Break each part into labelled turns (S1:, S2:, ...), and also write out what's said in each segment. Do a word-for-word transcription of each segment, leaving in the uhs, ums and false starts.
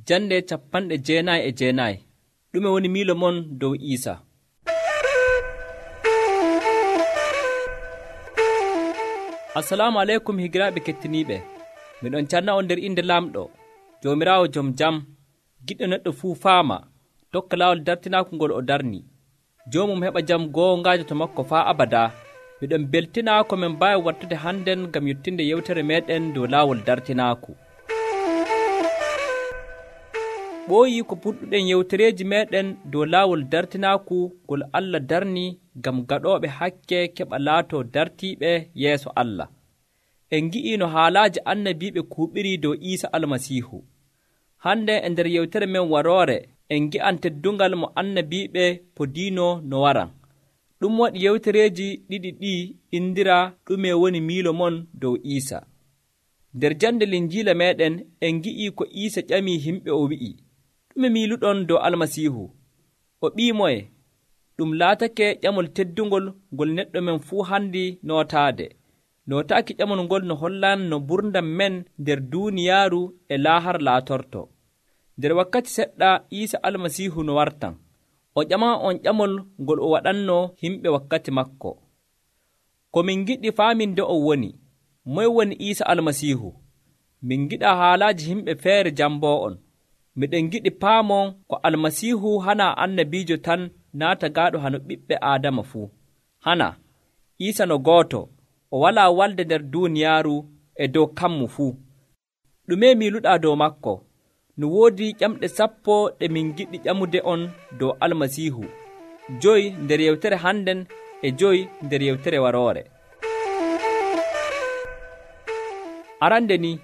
S1: Jande capanɗe jeenayi e jeenayi. Ɗume woni miilo mon dow Iisa? Assalamu aleykum higiraaɓe kettiniiɓe. Miɗon canna on nder inde Laamɗo, Joomiraawo jom jam, giɗɗo neɗɗo fuu faama, tokka laawol dartinaaku ngol o darni. Joomum heɓa jam goongaajo to makko faa abadaa. Miɗon beltinaa ko min mbaawi wattude hannden ngam yottinde yewtere meeɗen dow laawol dartinaaku. Ɓooyii ko puɗɗuɗen yewtereeji meeɗen dow laawol dartinaaku ngol Allah darni ngam gaɗooɓe hakke keɓa laatoo dartiiɓe yeeso Allah. En ngi'ii no haalaaji annabiiɓe kuuɓirii dow Iisa Almasiihu. Hande e nder yewtere men waroore en ngi'an teddungal mo annabiiɓe podiino no waran. Ɗum waɗi yewtereeji ɗiɗi ɗi indiraa ɗume woni miilo mon dow Iisa. Nder jande Linjiila meeɗen en ngi'ii ko Iisa ƴamii himɓe o wi'i, ɗume miiluɗon dow Almasiihu? O ɓii moye? Ɗum laatake ƴamol teddungol ngol neɗɗo men fuu handi nootaade. Nootaaki ƴamol ngol no hollan no ɓurdam men nder duuniyaaru e laahar laatorto. Nder wakkati seɗɗa Iisa Almasiihu no wartan. O ƴaman on ƴamol ngol o waɗanno himɓe wakkati makko. Ko min giɗi faaminde on woni, moye woni Iisa Almasiihu? Min giɗa haalaaji himɓe feere jamboo on. Miɗen giɗi paamon ko Almasiihu hana annabiijo tan naata gaaɗo hano ɓiɓɓe Aadama fuu. Hana, Iisa no gooto, o walaa walde nder duuniyaaru e dow kammu fuu. Ɗume miiluɗaa dow makko? No woodi ƴamɗe sappo ɗe min giɗi ƴamude on dow Almasiihu, joyi nder yewtere hannden e joyi nder yewtere waroore. Arande ni,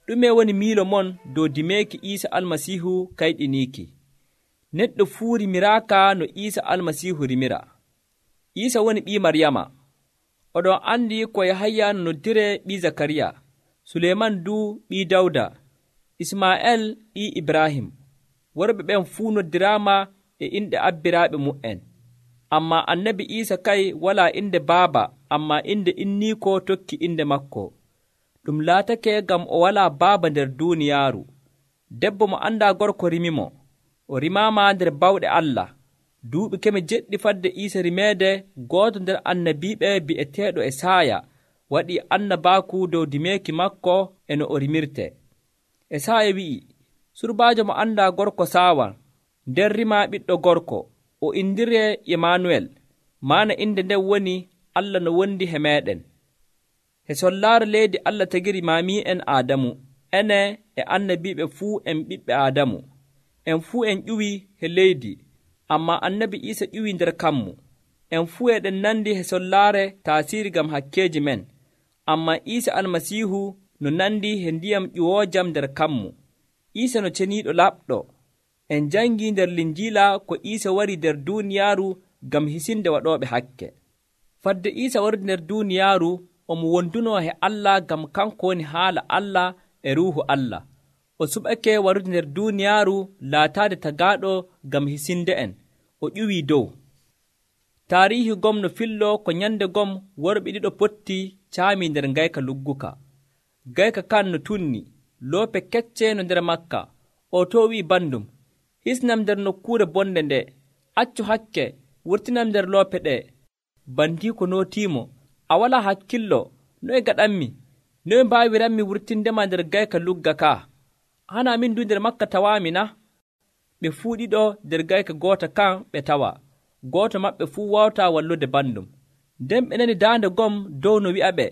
S1: ɗume woni miilo mon dow dimeeki Iisa Almasiihu kayɗiniiki? Neɗɗo fuu rimiraaka no Iisa Almasiihu rimira. Iisa woni ɓii Maryama. Oɗon andi ko Yahaya no noddire ɓii Zakariya, Suleyman duu ɓii Dawda, Ismaa'eel ɓii Ibrahim. Worɓe ɓen fuu noddiraama e inɗe abbiraaɓe mu'en. Ammaa annabi Iisa kay walaa inde baaba, ammaa inde inniiko tokki inde makko. Ɗum laatake ngam o walaa baaba nder duuniyaaru. Debbo mo anndaa gorko rimimo. O rimaama nder bawɗe Allah. Duuɓi keme jeɗɗi fadde Iisa rimeede, gooto nder annabiiɓe bi'eteeɗo Esaaya waɗii annabaaku dow dimeeki makko e no o rimirtee. Esaaya wi'i, surbaajo mo anndaa gorko saawan, nden rimaa ɓiɗɗo gorko, o indiree Imaanuwel, maana inde nden woni Allah no wondi he meeɗen. He sollaare leydi Allah tagiri maamii'en Aadamu, ene e annabiiɓe fuu en ɓiɓɓe Aadamu. En fuu en ƴuwii he leydi, ammaa annabi Iisa ƴuwii nder kammu. En fuu eɗen nandi he sollaare taasiiri ngam hakkeeji men, ammaa Iisa Almasiihu no nandi he ndiyam ƴuwoojam nder kammu. Iisa no ceniiɗo laɓɗo. En jangii nder Linjiila ko Iisa wari nder duuniyaaru ngam hisinde waɗooɓe hakke. Fadde Iisa wardi nder duuniyaaru, omo wondunoo he Allah ngam kanko woni haala Allah e Ruuhu Allah. O suɓake warude nder duuniyaaru laataade tagaaɗo ngam hisinde en. O ƴuwii dow. Taariihi gom no fillo ko nyande gom worɓe ɗiɗo potti caamii nder ngayka lugguka. Gayka kan no tunni, loope kecce no nder makka. O to wi'i bandum, hisnam nder nokkuure bonde nde, accu hakke, wurtinam nder loope ɗe. Bandii ko nootiimo, a walaa hakkillo, noye gaɗanmi? Noye mbaawiranmi wurtindema nder gayka lugga ka? Hana min du nder makka tawaami na? Ɓe fuu ɗiɗo nder gayka goota kan ɓe tawa. Gooto maɓɓe fuu wawtaa wallude bandum. Nden ɓe nani daande gom dow no wi'aɓe,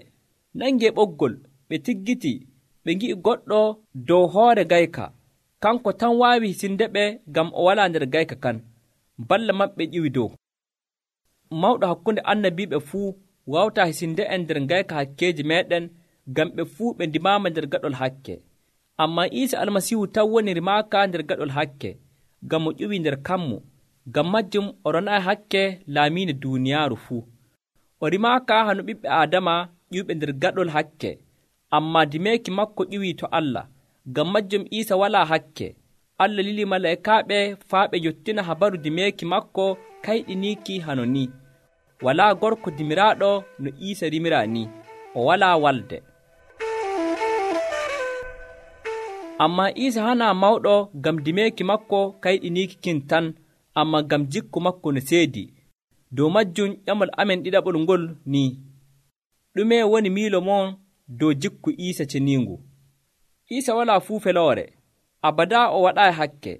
S1: nangee ɓoggol. Ɓe tiggiti, ɓe ngi'i goɗɗo dow hoore gayka. Kanko tan waawi hisindeɓe ngam o walaa nder gayka kan. Balla maɓɓe ƴiwi dow. Mawɗo hakkunde annabiiɓe fuu wawtaa hisinde en nder gayka hakkeeji meeɗen, ngam ɓe fuu ɓe ndimaama nder gaɗol hakke. Ammaa Iisa Almasiihu tan woni rimaaka nder gaɗol hakke, ngam o ƴuwii nder kammu. Ngam majjum o ronaayi hakke laamiinde duuniyaaru fuu. O rimaaka hano ɓiɓɓe Aadama ƴuwɓe nder gaɗol hakke, ammaa dimeeki makko ƴuwii to Allah. Ngam majjum Iisa walaa hakke. Allah lili malaa'ikaaɓe faa ɓe yottina habaru dimeeki makko kayɗiniiki hano ni. Walaa gorko dimiraaɗo no Iisa rimiraa ni. O walaa walde. Ammaa Iisa hanaa mawɗo ngam dimeeki makko kayɗiniiki kin tan, ammaa ngam jikku makko no seedi. Dow majjum ƴamol amen ɗiɗaɓol ngol nii: ɗume woni miilo mon dow jikku Iisa ceniingu? Iisa walaa fuu feloore, abadaa o waɗaayi hakke.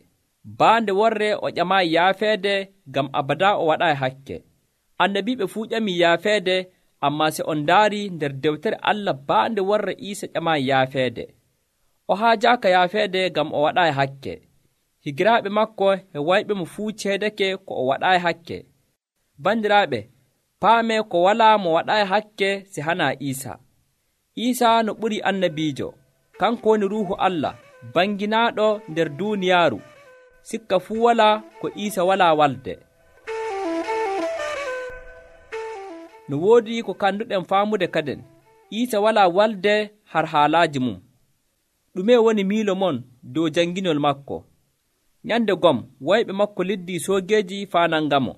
S1: Baande worre o ƴamaayi yaafeede, ngam abadaa o waɗaayi hakke. Annabiiɓe fuu ƴamii yaafeede, ammaa se on ndaarii nder dewtere Allah baande worre Iisa ƴamaayi yaafeede. O haajaaka yaafeede ngam o waɗaayi hakke. Higiraaɓe maako e wayɓemo fuu ceedake ko o waɗaayi hakke. Bandiraaɓe, paamee ko walaa mo waɗaayi hakke se hanaa Iisa. Iisa no ɓurii annabiijo, kanko woni Ruuhu Allah banginaaɗo nder duuniyaaru. Sikka fuu walaa ko Iisa walaa walde. No woodi ko kanduɗen faamude kaden, Iisa walaa walde har haalaaji mum. Ɗume woni miilo mon dow janginol makko? Nyande gom wayɓe makko liddii soogeeji faanangamo.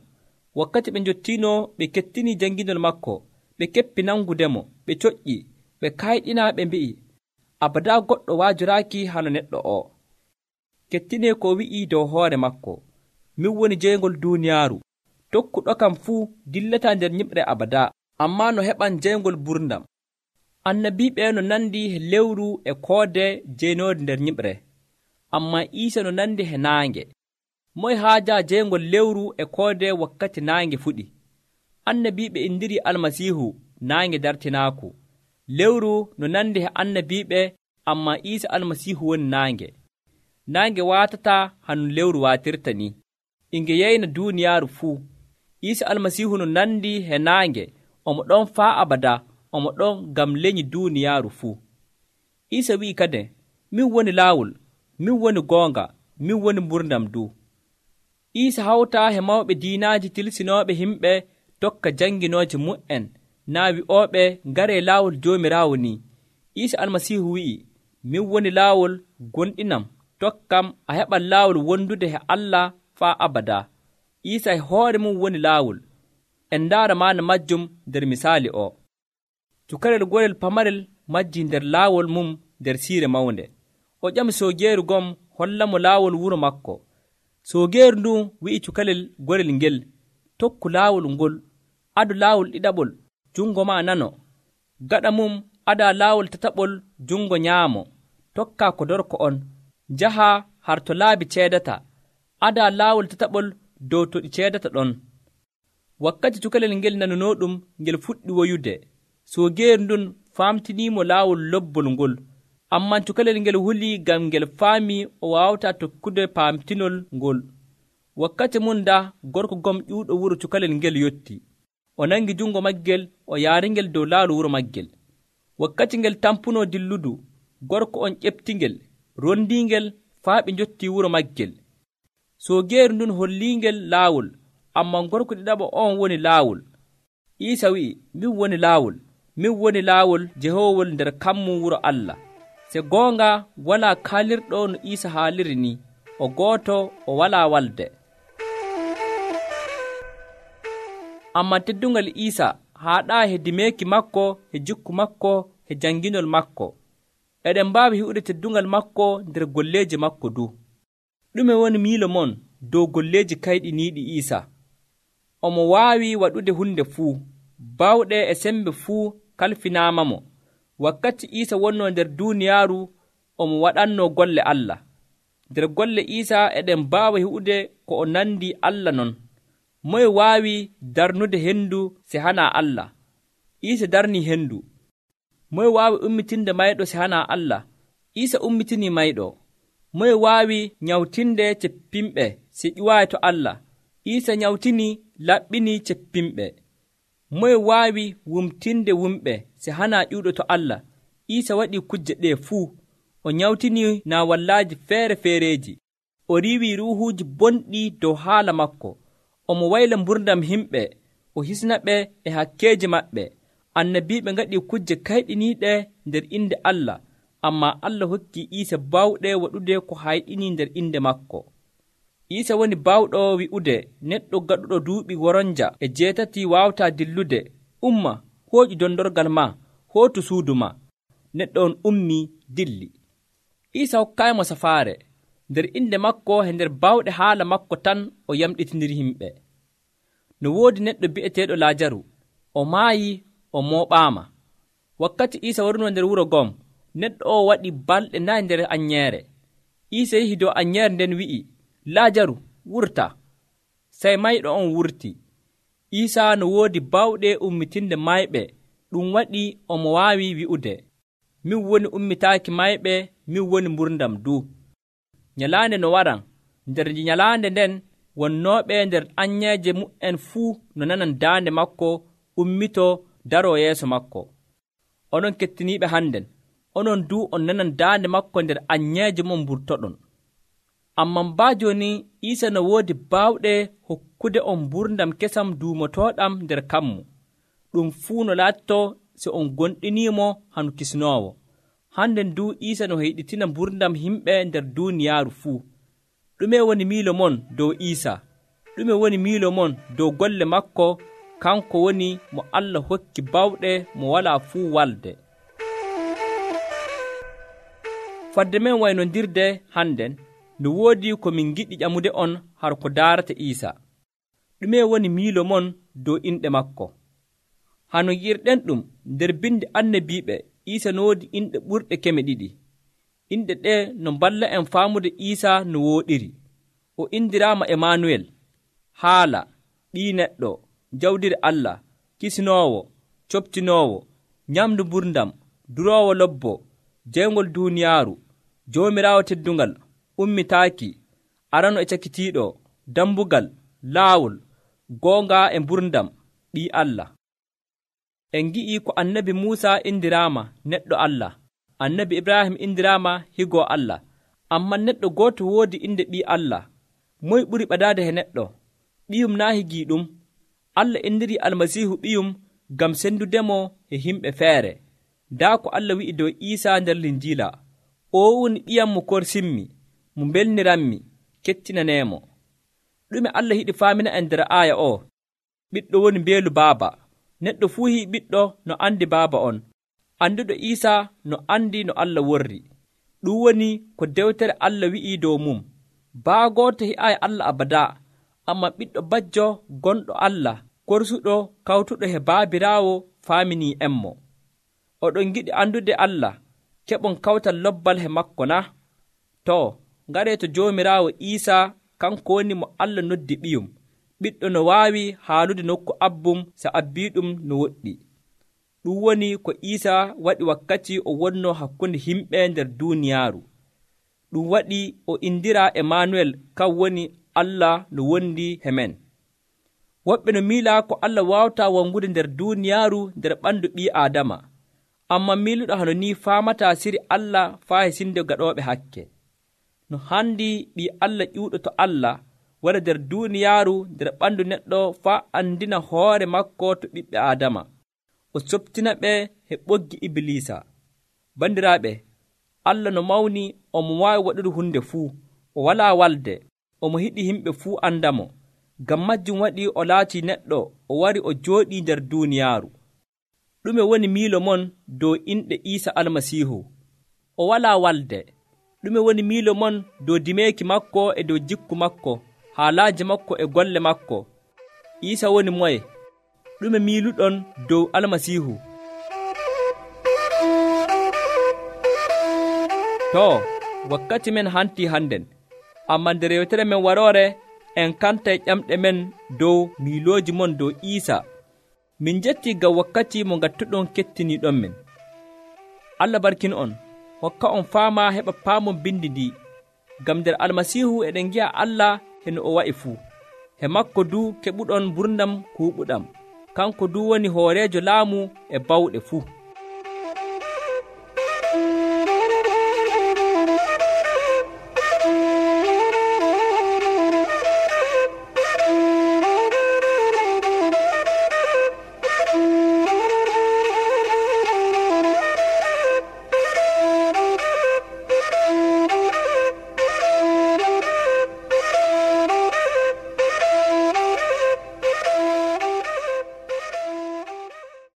S1: Wakkati ɓe njottiino ɓe kettinii janginol makko, ɓe keppi nangudemo, ɓe coƴƴi, ɓe kayɗina, ɓe mbi'i, abadaa goɗɗo waajoraaki hano neɗɗo o. Kettinee ko wi'i dow hoore makko: min woni jeygol duuniyaaru. Tokkuɗo kam fuu dillataa nder nyiɓre abadaa, ammaa no heɓan jeygol burdam. Annabiiɓe no nandi he lewru e koode jeynoode nder nyiɓre, ammaa Iisa no nandi he naange. Moye haajaa jeygol lewru e koode wakkati naange fuɗi? Annabiiɓe indiri Almasiihu naange dartinaaku. Lewru no nandi he annabiiɓe, ammaa Iisa Almasiihu woni naange. Naange waatataa hano lewru waatirta ni, inge yeyna duuniyaaru fuu. Iisa Almasiihu no nandi he naange, omo ɗon faa abadaa, omo ɗon ngam lenyi duuniyaaru fuu. Iisa wi'i kadi, min woni laawol, min woni goonga, min woni mburdam du. Iisa hawtaa he mawɓe diinaaji tilsinooɓe himɓe tokka janginooje mu'en, naa wi'ooɓe ngaree laawol Joomiraawo ni. Iisa Almasiihu wi'i, min woni laawol, gonɗinam, tokkam, a heɓan laawol wondude he Allah faa abadaa. Iisa e hoore mum woni laawol. En ndaara maana majjum nder misaali o. Cukalel gorel pamarel majjii nder laawol mum nder siire mawnde. O ƴami soogeeru gom hollamo laawol wuro makko. Soogeeru ndun wi'i cukalel gorel ngel, tokku laawol ngol, adu laawol ɗiɗaɓol, jungo maa nano. Gaɗa mum adaa laawol tataɓol, jungo nyaamo. Tokkaa ko dorko on, njahaa har to laabi ceedata. Adaa laawol tataɓol dow to ɗi ceedata ɗon. Wakkati cukalel ngel nanunooɗum ngel fuɗɗi woyude, soogeeru ndun faamtiniimo laawol lobbol ngol. Ammaa cukalel ngel hulii ngam ngel faamii o waawataa tokkude paamtinol ngol. Wakkati mum da gorko gom ƴuuɗo wuro cukalel ngel yotti. O nangi jungo maggel, o yaaringel dow laawol wuro maggel. Wakkati ngel tampunoo dilludu, gorko on ƴeftingel, rondiingel faa ɓe njottii wuro maggel. Soogeeru ndun holliingel laawol, ammaa gorko ɗiɗaɓo on woni laawol. Iisa wi'i, min woni laawol, min woni laawol jehoowol nder kammum wuro Allah. Se goonga walaa kaalirɗo no Iisa haaliri ni, o gooto o walaa walde. Ammaa teddungal Iisa haaɗaa he dimeeki makko, he jikku makko, he janginol makko. Eɗen mbaawi hi'ude teddungal makko nder golleeji makko du. Ɗume woni miilo mon dow golleeji kayɗiniiɗi Iisa? Omo waawi waɗude hunde fuu, bawɗe e sembe fuu kalfinaamamo. Wakkati Iisa wonnoo nder duuniyaaru, omo waɗannoo golle Allah. Nder golle Iisa eɗen mbaawa hi'ude ko o nandi Allah non. Moye waawi darnude henndu se hanaa Allah? Iisa darnii henndu. Moye waawi ummitinde mayɗo se hanaa Allah? Iisa ummitinii mayɗo. Moye waawi nyawtinde ceppimɓe se ƴuwaayi to Allah? Iisa nyawtinii, laɓɓinii ceppimɓe. Moye waawi wumtinde wumɓe se hanaa ƴuuɗo to Allah? Iisa waɗii kujje ɗee fuu. O nyawtinii naawallaaji feere feereeji. O riiwii ruuhuuji bonɗi dow haala makko. Omo wayla mburdam himɓe, o hisna ɓe e hakkeeji maɓɓe. Annabiiɓe ngaɗii kujje kayɗiniiɗe nder inde Allah, ammaa Allah hokkii Iisa baawɗe waɗude ko hayɗinii nder inde makko. Iisa woni baawɗo wi'ude neɗɗo gaɗuɗo duuɓi woronja e jeetati waawataa dillude, umma, hooƴu dondorgal maa, hootu suudu maa. Neɗɗo on ummii dilli. Iisa hokkaymo safaare, nder inde makko e nder bawɗe haala makko tan o yamɗitindiri himɓe. No woodi neɗɗo bi'eteeɗo Laajaru, o maayi, o mooɓaama. Wakkati Iisa warunoo nder wuro ngom, neɗɗo o waɗi balɗe nayi nder anyeere. Iisa yehi dow anyeere nden wi'i, Laajaru, wurta. Sey mayɗo on wurti. Iisa no woodi bawɗe ummitinde mayɓe, ɗum waɗi omo waawi wi'ude, min woni ummitaaki mayɓe, min woni mburdam duu. Nyalaande no waran, nder nyalaande nden wonnooɓe nder anyeeje mu'en fuu no nanan daande makko ummitoo daroo yeeso makko. Onon kettiniiɓe hannden, onon duu on nanan daande makko nder anyeeje mon mburtoɗon. Amman baa jooni Iisa no woodi baawɗe hokkude on mburdam kesam duumotooɗam nder kammu. Ɗum fuu no laattoo so on gonɗiniimo hanu kisnoowo. Hannden duu Iisa no heyɗitina mburdam himɓe nder duuniyaaru fuu. Ɗume woni miilo mon dow Iisa? Ɗume woni miilo mon dow golle makko? Kanko woni mo Allah hokki bawɗe mo walaa fuu walde. Fadde men waynondirde hannden, no woodi ko min giɗi ƴamude on har ko daarata Iisa. Ɗume woni miilo mon dow inɗe makko? Hano yi'irɗen ɗum nder bindi annabiiɓe, Iisa no woodi inɗe ɓurɗe keme ɗiɗi. Inɗe ɗe no mballa en faamude Iisa no wooɗiri. O indiraama Emanuwel, haala, ɓii neɗɗo, jawdiri Allah, kisnoowo, coptinoowo, nyamdu mburdam, duroowo lobbo, jeygol duuniyaaru, joomiraawo teddungal, ummitaaki, arano e cakitiiɗo, dambugal, laawol, goonga e mburdam, ɓii Allah. En ngi'i ko annabi Muusa indiraama neɗɗo Allah, annabi Ibrahim indiraama higoo Allah, ammaa neɗɗo gooto woodi inde ɓii Allah. Moy ɓuri ɓadaade he neɗɗo? Ɓiyum naa higiiɗum. Allah indirii Almasiihu ɓiyum ngam sendudemo e himɓe feere. Daa ko Allah wi'i dow Iisa nder Linjiila, o woni ɓiyam mo korsinmi, mo mbelniranmi, kettinaneemo. Ɗume Allah yiɗi faamina en nder aaya o? Ɓiɗɗo woni mbeelu baaba. Neɗɗo fuu hii ɓiɗɗo no andi baaba on. Anduɗo Iisa no andi no Allah worri. Ɗum woni ko dewtere Allah wi'i dow mum. Baa gooto hi'aayi Allah abadaa, ammaa ɓiɗɗo bajjo gonɗo Allah, korsuɗo kawtuɗo he baabiraawo faaminii enmo. Oɗon giɗi andude Allah, keɓon kawtal lobbal he makko na? Too, ngaree to Joomiraawo Iisa, kanko woni mo Allah noddi ɓiyum, ɓiɗɗo no waawi haalude nokku abbum so abbiiɗum no woɗɗi. Ɗum woni ko Iisa waɗi wakkati o wonnoo hakkunde himɓe nder duuniyaaru. Ɗum waɗi o indiraa Emanuwel, kan woni Allah no wondi he men. Woɓɓe no miilaa ko Allah waawataa wongude nder duuniyaaru nder ɓandu ɓii Aadama, ammaa miiluɗo hano ni faamataa siri Allah faa he sinde gaɗooɓe hakke. No handi ɓii Allah ƴuuɗo to Allah wara nder duuniyaaru nder ɓandu neɗɗo faa andina hoore makko to ɓiɓɓe Aadama, o soptina ɓe he ɓoggi Ibliisa. Bandiraaɓe, Allah no mawni omo waawi waɗude hunde fuu, o walaa walde, omo hiɗi himɓe fuu andamo. Ngam majjum waɗi o laatii neɗɗo, o wari o jooɗii nder duuniyaaru. Ɗume woni miilo mon dow inɗe Iisa Almasiihu? O walaa walde. Ɗume woni miilo mon dow dimeeki makko e dow jikku makko, haalaaji makko e golle makko? Iisa woni moye? Ɗume miiluɗon dow Almasiihu? Too, wakkati men hantii hannden, ammaa nder yewtere men waroore en kantay ƴamɗe men dow miilooji mon dow Iisa. Min njettii ngam wakkati mo ngattuɗon kettiniiɗon men. Allah barkin on, hokka on faama heɓa paamon bindi ndi, ngam nder Almasiihu eɗen ngi'a Allah heno o wa'i fuu. He makko duu keɓuɗon mburdam kuuɓuɗam, kanko duu woni hooreejo laamu e bawɗe fuu.